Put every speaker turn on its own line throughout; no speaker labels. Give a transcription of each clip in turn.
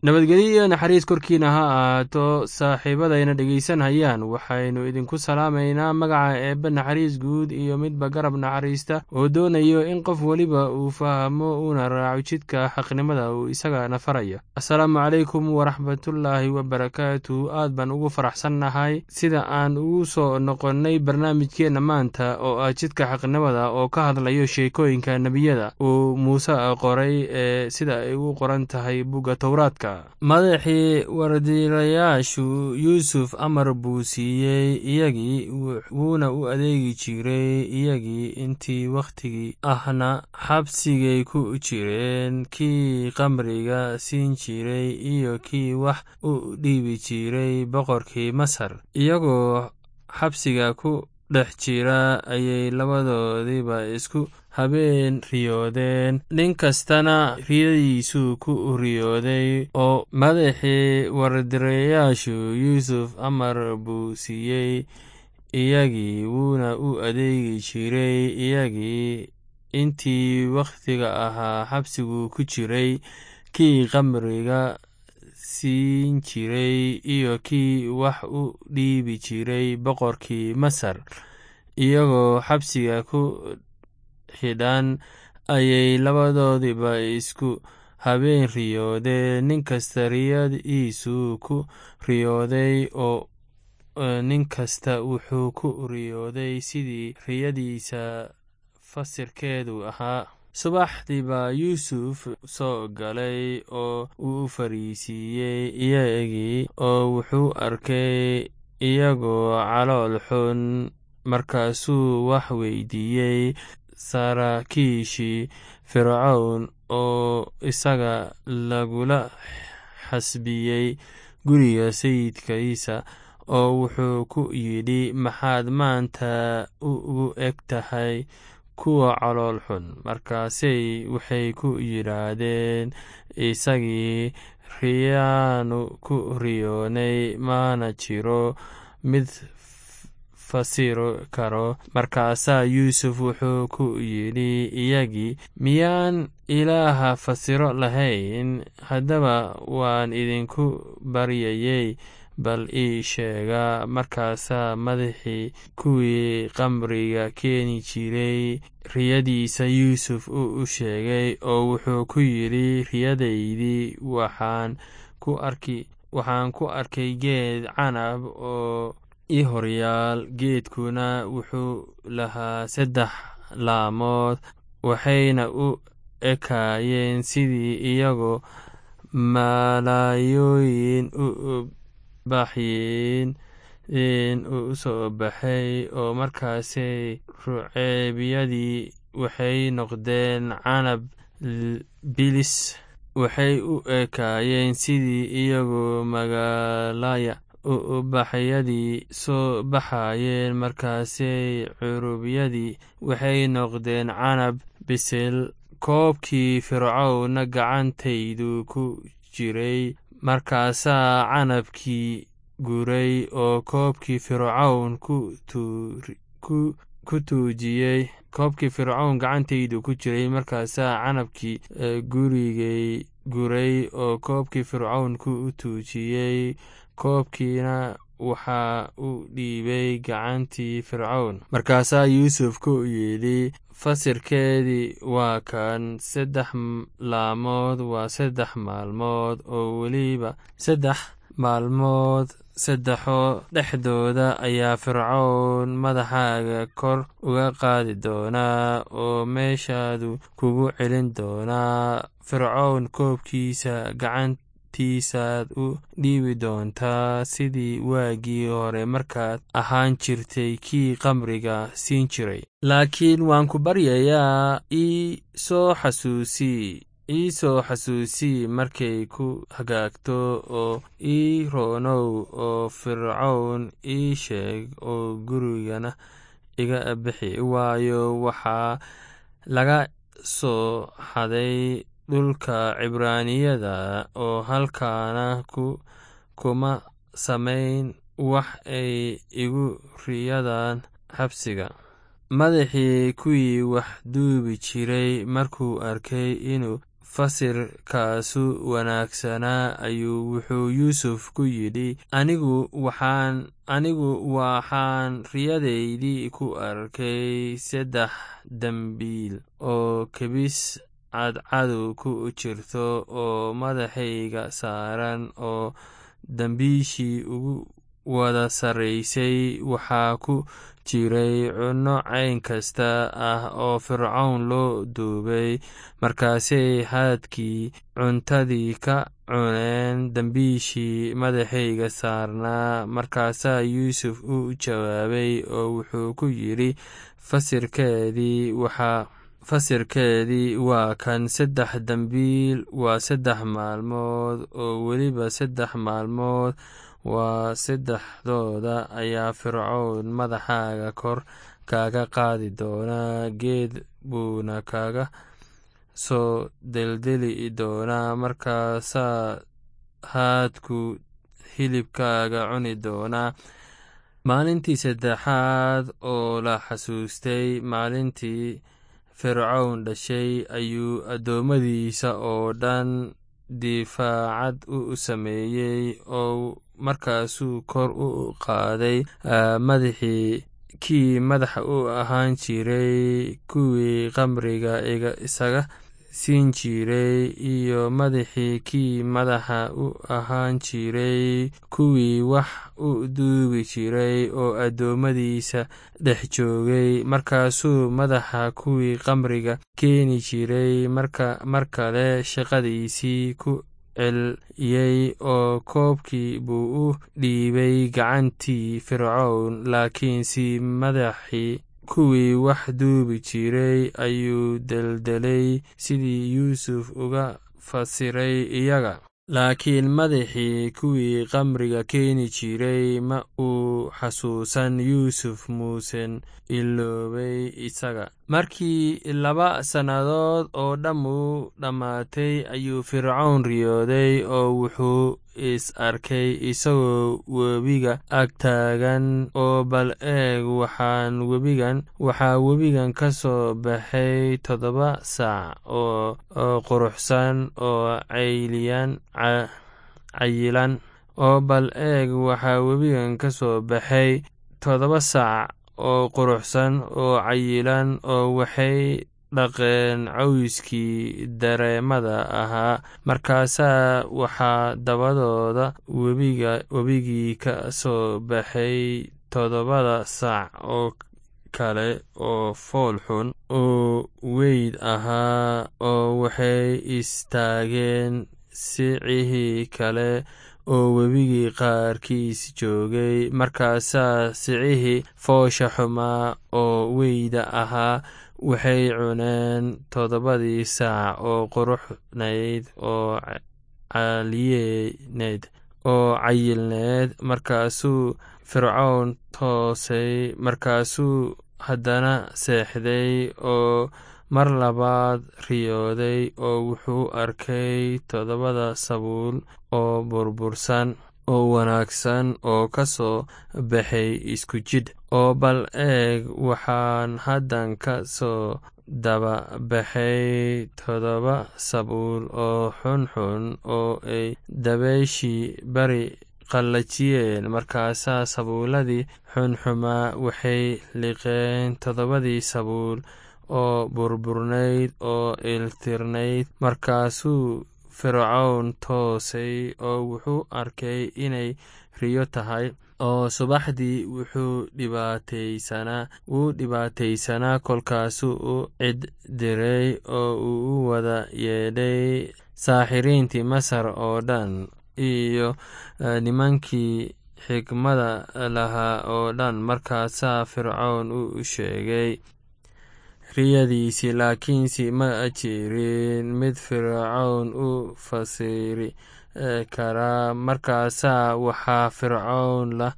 Nabadgelyo iyo naxariis korkiina ha ahaato, saaxiibadayna dhegaysanayaan. Waxaynu idinku salaamaynaa magaca Eebbe naxariis guud iyo midba garab naxariista, oo doonayo in qof weliba uu fahmo uuna raaco jidka xaqnimada uu isagana farayo. Asalaamu calaykum waraxmatullaahi wabarakaatu. Aad baan ugu faraxsannahay sida aan ugu soo noqonnay barnaamijkeenna maanta oo ah Jidka Xaqnimada, oo ka hadlayo sheekooyinka nebiyada uu Muuse qoray ee sida ay ugu qoran tahay bugga Towraadka. Madaxii wardiilayaashu Yuusuf amar buu siiyey iyagii, wuuna u adeegi jiray iyagii intii wakhtigii ahna xabsigay ku jireen. Kii qamriga siin jiray iyo kii wax u dhiibi jiray boqorkii Masar, iyagoo xabsiga ku dhex jira ayay labadoodiiba isku habeen riyoodeen, nin kastana riyadiisuu ku riyooday. Oo madaxii wardirayaashu Yuusuf amar buu siiyey iyagii, wuuna u adeegi jiray iyagii intii wakhtiga ahaa xabsigu ku jiray. Kii qamriga siin jiray iyo kii wax u dhiibi jiray boqorkii Masar, iyagoo xabsiga ku xidhan ayay labadoodiiba isku habeen riyoodeen, nin kasta riyadiisuu ku riyooday, oo nin kasta wuxuu ku riyooday sidii riyadiisa fasirkeedu ahaa. Subaxdii baa Yuusuf soo galay oo uu fariisiiyey iyagii, oo wuxuu arkay iyagoo calool xun. Markaasuu wax weydiiyey saraakiishii Fircown oo isaga lagula xasbiyey guriga sayidkiisa, oo wuxuu ku yidhi: "Maxaad maanta ugu eg tahay kuwa calool xun?" Markaasay waxay ku yidhaahdeen isagii: "Riyaanu ku riyoonay, mana jiro mid fasiri karo." Markaasaa Yuusuf wuxuu ku yidhi iyagii: "Miyaan Ilaaha fasiro lahayn? Haddaba waan idinku baryayey, bal ii sheega." Markaasaa madaxii kuwii qamriga keeni jiray riyadiisa Yuusuf u sheegay, oo wuxuu ku yidhi: "Riyadaydii waxaan ku arkay geed canab oo i horyaal. Geedkuna wuxuu lahaa saddex laamood, waxayna u ekaayeen sidii iyagoo malaayiin ubaxyin u soo baxay, oo markaasay ruceybyadii waxay noqdeen canab bilis. Waxay u ekaayeen sidii iyagoo magaalaya ubaxyadii soo baxayeen. Markaasay curubyadii waxay noqdeen canab bisil. Koobkii Fircownna gacantaydu ku jiray. Markaasaa canabkii guray oo koobkii Fircown ku tuujiyey. Koobkii Fircown gacantaydu ku jiray. Markaasaa canabkii gurigay guray oo koobkii Fircown ku tuujiyey, koobkiina waxaa u dhiibay gacantii Fircown." Markaasaa Yuusuf ku yidhi: "Fasirkeedii waa kan: saddex laamood waa 3 maalmood, oo weliba 3 maalmood saddexoo dhexdooda ayaa Fircown madaxaaga kor uga qaadi doonaa oo meeshaadu kugu celin doonaa. Fircown koobkiisa gacantiisaad u dhiibi doontaa, sidii waagii hore markaad ahaan jirtay kii qamriga siin jiray. Laakiin waan ku baryayaa, ii soo xasuusii markay ku hagaagto, oo ii roonow, oo Fircown ii sheeg, oo gurigana iga bixi, waayo, waxaa laga soo xaday dhulka Cibraaniyada, oo halkaana kuma samayn wax ay igu ridayaan xabsiga." Madaxii kuwii wax duubi jiray markuu arkay inuu fasirkaasu wanaagsanaa, ayuu wuxuu Yuusuf ku yidhi, Anigu waxaan riyadaydii ku arkay 3 dambiil oo kebis cadcadu ku jirto oo madaxayga saaran, oo dambiishii ugu wada sarraysay waxaa ku jiray cunno cayn kasta ah oo Fircoon loo duubay. Markaasay haadkii cuntadii ka cuneen dambiishii madaxayga saarnaa. Markaasaa Yuusuf u jawaabay oo wuxuu ku yidhi, Fasirkeedii waa kan: 3 dambiil waa 3 maalmood, oo weliba 3 maalmood waa saddexdooda ayaa Fircoon madaxaaga kor kaga qaadi doonaa, geed buuna kaga soo deldeli doonaa, markaasaa haadku hilibkaaga cuni doonaa. Maalintii saddexaad oo la xasuustay maalintii Fircoon dhashay, ayuu addoommadiisa oo dhan difaacad u sameeyey, oo markaasuu kor u qaaday madaxii kii madaxa u ahaan jiray kuwii khamriga isaga siin jiray, iyo madaxii kii madaxa u ahaan jiray kuwii wax u duubi jiray oo addoommadiisa dhex joogay. Markaasuu madaxa kuwii khamriga keeni jiray mar kale shaqadiisii ku celiyey, oo koobkii buu u dhiibay gacantii Fircoon. Laakiinse madaxii kuwii wax duubi jiray ayuu deldelay, sidii Yuusuf uga fasiray iyaga. Laakiin madaxii kuwii khamriga keeni jiray ma uu xasuusan Yuusuf, muusen iloobay isaga. Markii 2 sannadood oo dhammu dhammaatay, ayuu Fircoon riyooday, oo wuxuu is arkay isagoo webiga ag taagan, oo bal eeg, waxaa webigan ka soo baxay 7 sac oo quruxsan oo cayilan, oo bal eeg, waxaa webigan ka soo baxay 7 sac oo quruxsan oo cayilan, oo waxay dhaqeen cawskii dareemada ahaa. Markaasaa waxaa dabadooda webigii ka soo baxay 7 sac oo kale oo fool xun oo weyd ahaa, oo waxay istaageen sicihii kale oo webigii qaarkiis joogay. Markaasaa sicihii foosha xumaa oo weyda ahaa waxay cuneen 7dii sac oo quruxnayd oo cayilneed. Markaasuu Fircoon toosay, markaasuu haddana seexday, oo mar labaad riyooday, oo wuxuu arkay 7 sabuul oo burbursan oo wanaagsan oo ka soo baxay isku jidh. Oo bal eeg, waxaan haddan ka soo daba baxay 7 sabuul oo xunxun oo ay dabayshii bari qallajiyeen. Markaasaa sabuuladii xunxumaa waxay liqeen 7dii sabuul oo burburnayd oo iltirnayd. Markaasuu Fircoon toosay, oo wuxuu arkay inay riyo tahay, oo subaxdii wuxuu dhibaataysanaa. Kolkaasuu u cid diray oo uu u wada yeedhay saaxiriintii Masar oo dhan iyo nimankii xikmadda lahaa oo dhan. Markaasaa Fircoon u sheegay riyadiisii, laakiinse ma jirin mid Fircoon u fasiri karaa. Markaasaa waxaa Fircoon la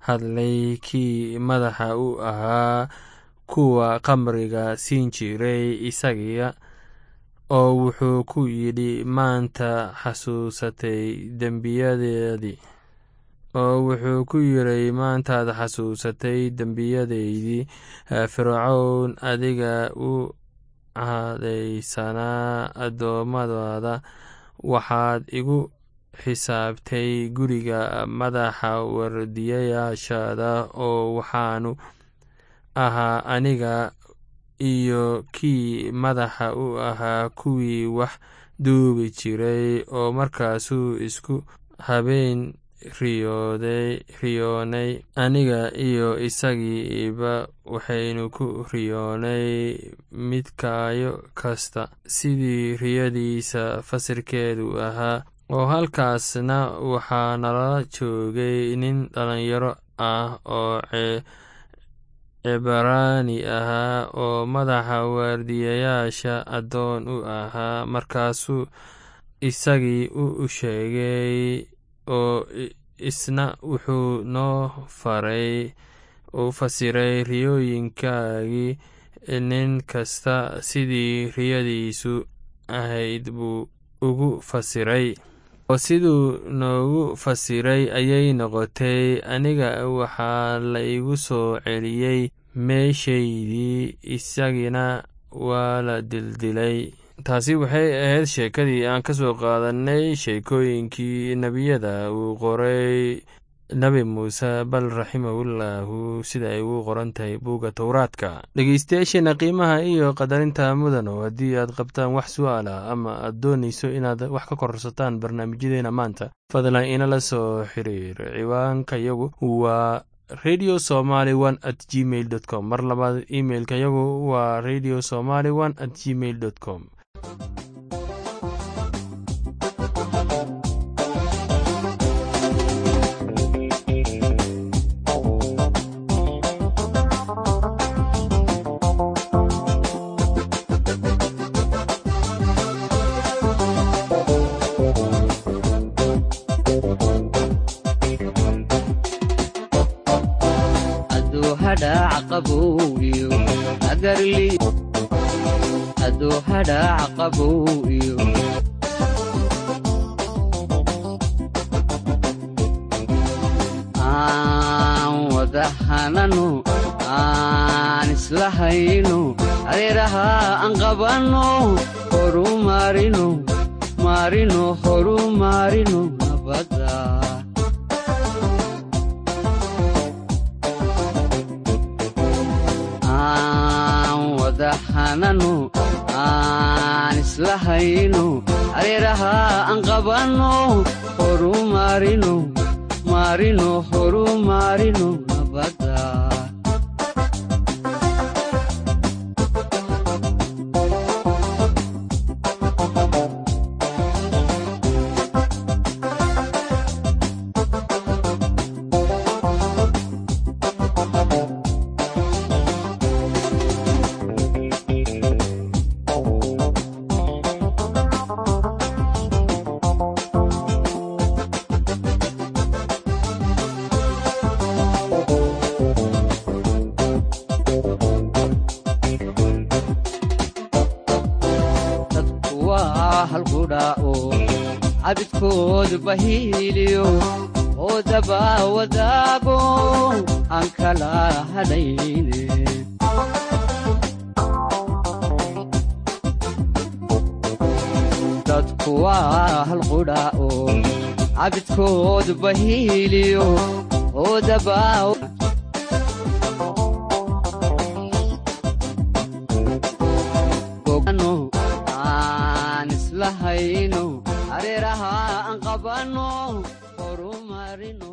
hadlay kii madaxa u ahaa kuwa khamriga siin jiray isaga, oo wuxuu ku yidhi, Maanta xasuusatay dembiyadaadii. Oo wuxuu ku yidhi, maantaad xasuusatay dembiyadaydii, Fircown adiga u cadhaysanaa addoommadaada, waxaad igu xisaabtay guriga madaxa waardiyayaashaada, oo waxaanu ahaa aniga iyo kii madaxa u ahaa kuwii wax duubi jiray. Oo markaasuu isku habeen riyoonay, aniga iyo isagiiba waxaynu ku riyoonay midkayo kasta sidii riyadiisa fasirkeedu ahaa. Oo halkaasna waxaa nala joogay nin dhallinyaro ah oo Cibraani ahaa oo madaxa waardiyayaasha addoon u ahaa. Markaasuu isagii u sheegay, oo isna wuxuu noo faray u fasiray riyooyinkayagii, nin kasta sidii riyadiisu ahayd buu ugu fasiray. Oo siduu noogu fasiray ayay noqotay. Aniga waxaa la igu soo celiyey meeshaydii, isagina waa la dildilay. Taasi waxay ahayd sheekadii aan ka soo qaadanay sheekooyinkii nebiyada uu qoray Nebi Muuse bal raximahullaahu, sida ay ugu qoran tahay buugga Towraadka. Dhegeystayaasheena qiimaha iyo qadarinta mudano, haddii aad qabtaan wax su'aal ah ama aad doonayso inaad wax ka kororsataan barnaamijyadeena maanta, fadlan inala soo xiriir. Ciwaankayagu waa radiosomali1@gmail.com. Mar labaad, imailkayagu waa radiosomali1@gmail.com.
Aduu hadhaac qabow iyo aan wada hanano, aan isla hayno, hareeraha aan qabanno, horu maarino, maarino, horu maarino nabadda. Aan wada hanano, aan isla hayno, hareeraha aan qabanno, horu maarino, maarino, horu maarino nabadda. Dadku waa halqudhaa'o cabidkoodu bahiiliyo oo daba wadaago aan kala hadhayne. Dadku waa halqudhaa'o cabidkoodu bahiiliyo oo daba gogano, aan isla hayno, hareeraha aan qabanno, horu marino.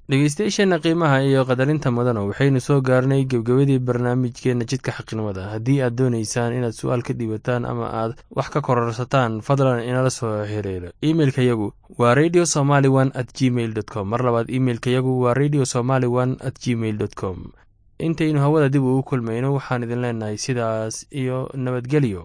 Dhegeystayaasheena qiimaha iyo qadarinta mudano, waxaynu soo gaarnay gebgebadii barnaamijkeenna Jidka Xaqnimada. Haddii aad doonaysaan inaad su'aal ka dhiibataan ama aad wax ka kororsataan, fadlan inala soo xiriiro. Imeilkayagu waa radiosomali1@gmail.com. Mar labaad, imeilkayagu waa radiosomali1@gmail.com. Intaynu hawada dib ugu kulmayno, waxaan idin leenahay sidaas iyo nabadgelyo.